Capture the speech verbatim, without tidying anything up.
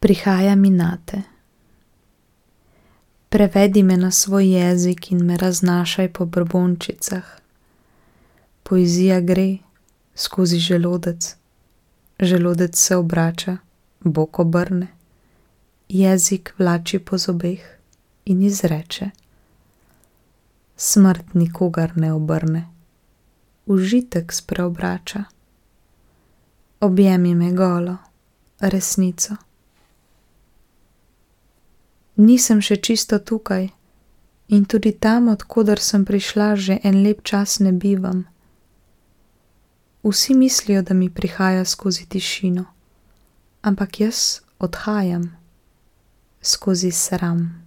Prihaja mi nate. Prevedi me na svoj jezik in me raznašaj po brbončicah. Poezija gre skozi želodec, želodec se obrača, bok obrne, jezik vlači po zobeh in izreče: smrt nikogar ne obrne, užitek spreobrača. Objemi me golo, resnico. Nisem še čisto tukaj in tudi tam, od koder sem prišla, že en lep čas ne bivam. Vsi mislijo, da mi prihaja skozi tišino, ampak jaz odhajam skozi sram.